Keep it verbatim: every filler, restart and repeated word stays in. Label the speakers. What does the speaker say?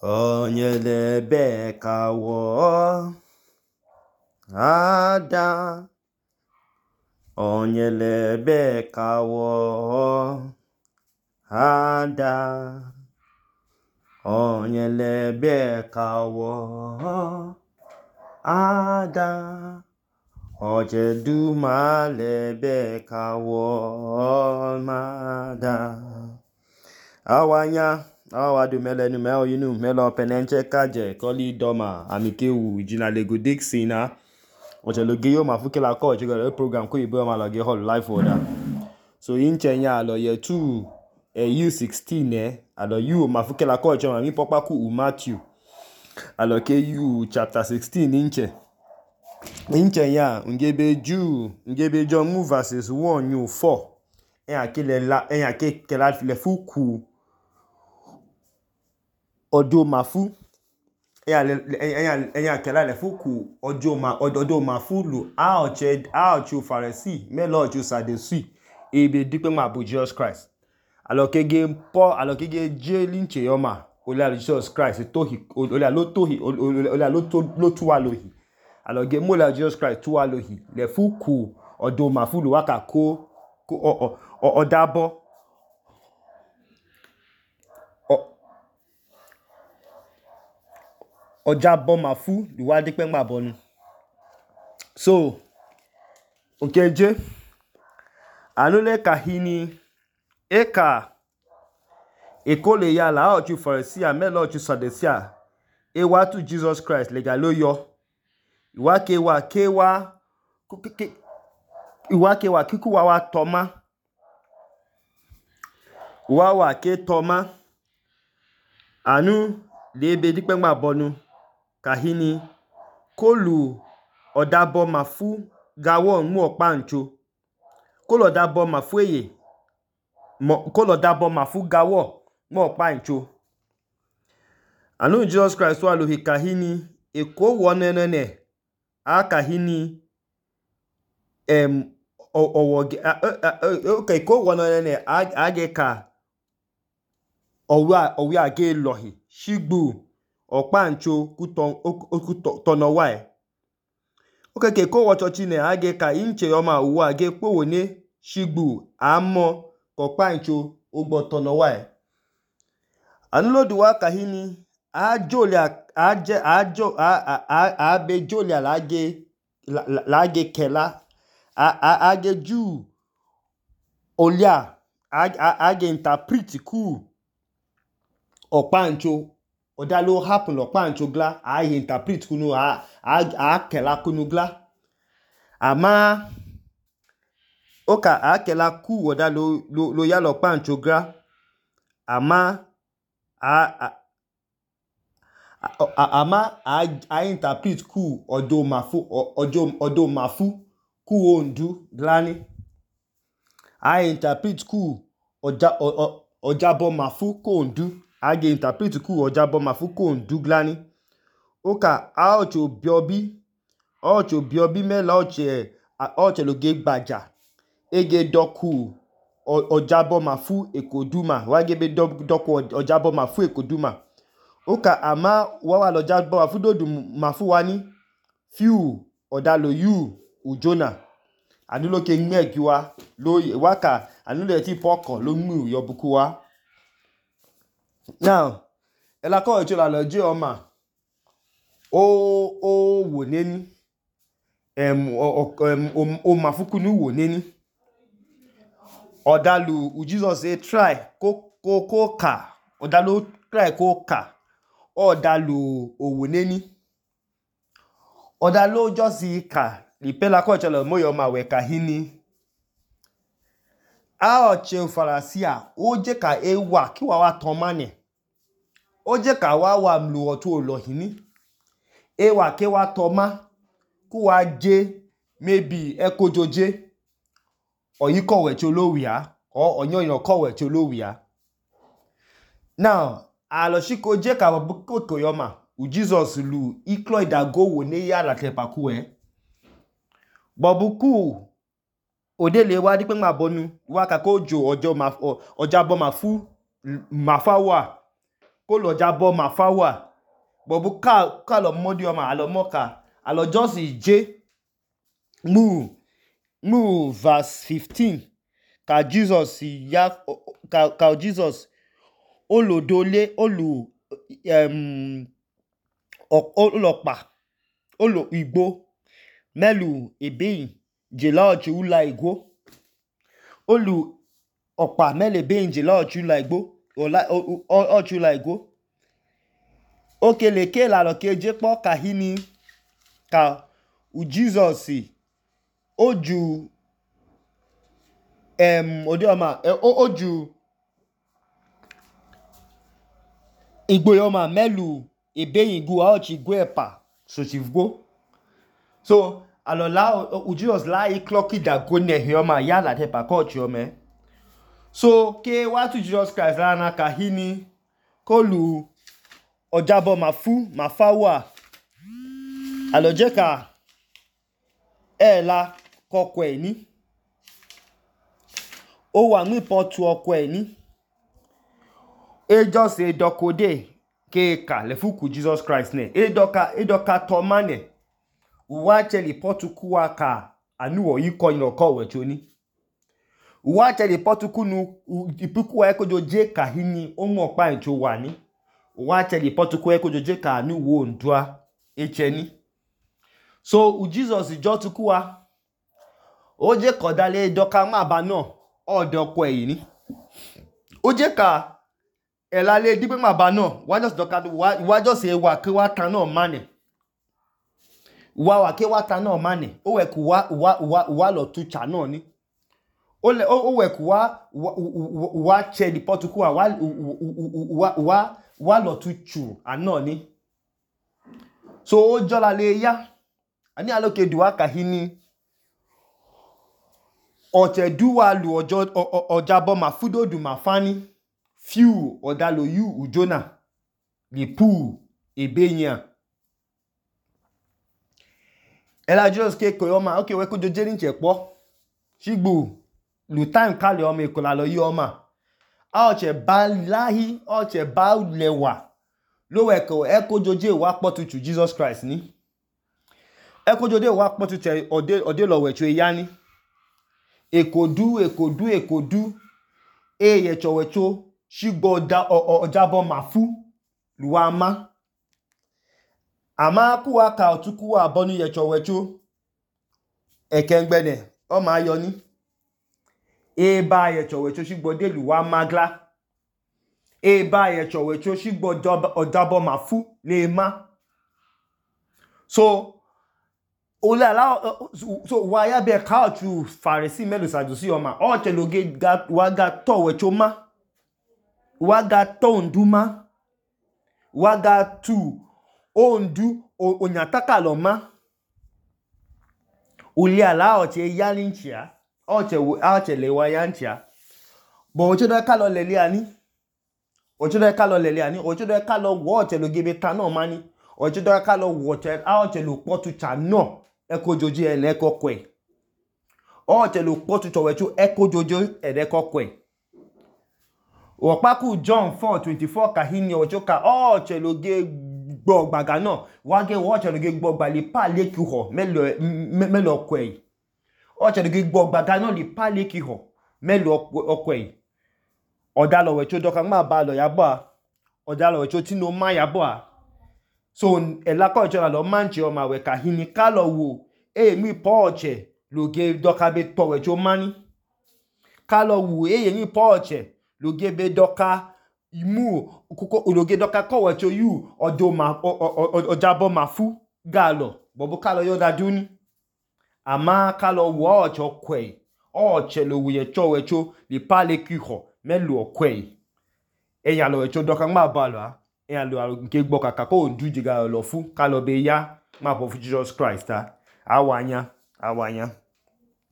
Speaker 1: Onyelebe kawo ada Onyelebe kawo ada Onyelebe kawo ada Ojedumalebe kawo mada awanya awadu melenu me oyinu melo penenche kaje koli doma amikewu jina lego dixina ocheloge yo mafuke la ko chegere program ko ibo ma loge hall live order so inchenya alo ye two eh, U sixteen eh alo you mafuke la ko choma mi popa ku Matthew alo ke you chapter sixteen inche inchenya ngebe Jew ngebe John mu verses one you four en akile la en akike la le fuku odo mafu ẹ̀yà kẹlá ilẹ̀ fúkù ọjọ́ mafu lù áọ̀chẹ́ Pharisee mẹ́lọ ọ̀chẹ́ Sadducee ebe dípẹ́ mọ́ àbò Jesus Christ alọ́kẹ́gẹ́ pọ́ alọ́kẹ́gẹ́ jẹ́ líǹchẹ̀ yọmà olè Jesus Christ olè ló túwà lóhì alọ́gẹ́ mọ́lẹ̀ Jesus Christ túwà lóhì lẹ̀ fúkù ọjọ́ mafu lù wákà kó ọdábọ́ ọjà bọ́mà fún ìwádìí pẹ́ ńgbà bọ́nu so okeje anule kahini eka ekole ya la ochu Pharisee melo ochu Sadducee ewa tu Jesus Christ lega lo yo iwa kewa kewa iwa kewa kiku wa wa toma wa wa ke toma anu lebe dipe ńgbà bọ́nu kahini kolu odabo mafu gawo mu opancho kolu odabo mafu eye kolu odabo mafu gawo mu opancho anu Jesus Christ wa lohi kahini eko wonenene a kahini em owoge okay eko wonenene ageka owa owi age lohi shigbu ọ̀páǹcho kútọ̀nọ̀wà ẹ̀. Oke ke kó wọ́chọchí nẹ̀ agé ka inche ọma uwe agé kpówò ní ṣígbù àmọ́ kọ̀páǹcho ugbọ̀tọ̀nọ̀wà ẹ̀. Anúlòdùwà kàhíní àábé jòlìà lágé kẹlá agé jù olíà agé interpret kú ọ̀páǹcho oda lo happen lo pancho gla a interpret kunu a a kela kunu gla ama oka a kela ku oda lo lo, lo ya lo pancho gla ama a ama a a interpret ku odo mafu odo odo mafu ku ondu glani a interpret ku oja ojabo mafu ku ondu age interpret ku ojabo mafuko nduglani oka aocho biobi ocho biobi mela oche oche loge gbaja ege doku ojabo mafu ekoduma wagebe doku ojabo mafu ekoduma oka ama wawa lojabo mafu dodu mafu wani fiu odalo yu ujona anulo ke nmegiwa lo waka anulo ti poko lo mu yobuku wa now ela ko echo la loje oma o o wo neni em o o mafuku ni wo neni odalu u Jesus say try ko ko ko ka odalu try ko ka odalu owo neni odalu just ka ipela ko echo la moyo ma we kahini a oche Pharisee o je ka ewa ki wa wa ton mane ó jẹ́ ká wá wà mlù ọ̀tún olóhìní ewa ke wa toma kú wa jẹ́ maybe ekojoje oyi kowe tí olówìá or onyoyin kowe tí olówìá now aloshiko jẹ́ ká babuko koyoma u Jesus lu iklo idago wo ne ya la tepaku e babuku odele wa di pe ma bonu wa ka ko jo ojo ma ojabo mafu mafa wa ko lo jabo ma fawa bobu ka ka lo modi o ma alo moka alo just je mu mu verse fifteen ka Jesus ya ka ka Jesus olodole olu um olopa olo igbo melu ebeyin jela ochi ula igbo olu ọ̀pá mẹ́lẹ̀ bẹ́ẹ̀ njẹ̀lá ọ̀chúlà ìgbó ọ̀chúlà ìgbó okele ke la lọ ke je kpọ́ ka hini ka u Jesus oju em odioma oju igbo yoma mẹ́lù ebeyin gu ọ̀chì igbo ẹ̀pà sochivgo so alola u Jesus la i clocky da go ne yoma ya la tepa ko ọ̀chì ome so ke watu Jesus Christ lana ka hini kolu ojabo mafu mafawa aloje ka ela koko e ni o wa mi potu oko e ni e just e dokode ke ka le fuku Jesus Christ ne e doka e doka to mane uwa cheli potu kuwa ka anuwo yiko ino ko wechoni uwa cheli potu kunu ipuku e kojo je ka hini o mo pa encho wa ni uwa cheli potu ku e kojo je ka anuwo ndua echeni so u Jesus jo tukuwa o je kodale doka ma ba na odo ko e ni o je ka elale digbe ma ba na wa just doka wa just e wa ke wa tan na mane wa wa ke wa tan na mane o we ku wa wa wa lo tu cha na ni o le o we ku wa wa che di potuku wa wa wa wa lo tu chu ana ni so o jola le ya ani aloke duwa ka hini oche duwa lu ojo ojabo mafudo du mafani few odalo yu ujona li pu ebeyan ela Jesus ke koyoma okay we ko joje ni chepo shigbu lu time kale o me kola lo yi o ma a oche ba lahi oche ba lewa lo we ko e ko joje wa potuchu Jesus Christ ni e ko joje wa potuche ode ode lo we chu ya ni ekodu ekodu ekodu e ye chowecho shigbo da ojabo mafu luwa ma ama kuwa ka otuku abonu ye chowecho ekengbene o ma yo ni e ba ye chowecho shigbo de luwa magla e ba ye chowecho shigbo ojabo mafu le ma so ola la so wa ya be ka tu Pharisee melu sadusi o ma o cheloge ga wa ga to wecho ma wa ga to nduma wa ga tu ondu onyataka lo ma uli ala oche yalinchia oche oche le wa yanchia bo oche do ka lo lele ani oche do ka lo lele ani oche do ka lo wo oche lo gebe ta na mani oche do ka lo wo oche a oche lo potu cha no eko joji ele kokwe oche lo potu chowechu eko jojo ele kokwe Opaku John four twenty-four ka hini ocho ka oche lo ge gbo gbaga na wa ge oche lo ge gbo gba le pa le ki ho melo melo kwe oche lo ge gbo gbaga na le pa le ki ho melo okwe oda lo we cho doka ma ba lo ya bo oda lo we cho tino ma ya bo so ela ko cho lo manchi o ma we ka hini ka lo wo e mi po oche lo ge doka be to we cho mani ka lo wo e mi po oche lo ge be doka imu kuko ologe doka ko we cho yu odo ma ojabo mafu galo bobo ka lo yo da duni ama ka lo wo ocho kwe oche lo wo ye cho we cho li pa le ki ho melu okwe eyan lo we cho doka ma ba lo eyan lo nke gbo kaka ko du jiga lo fu ka lo be ya ma po fu Jesus Christ ta awanya awanya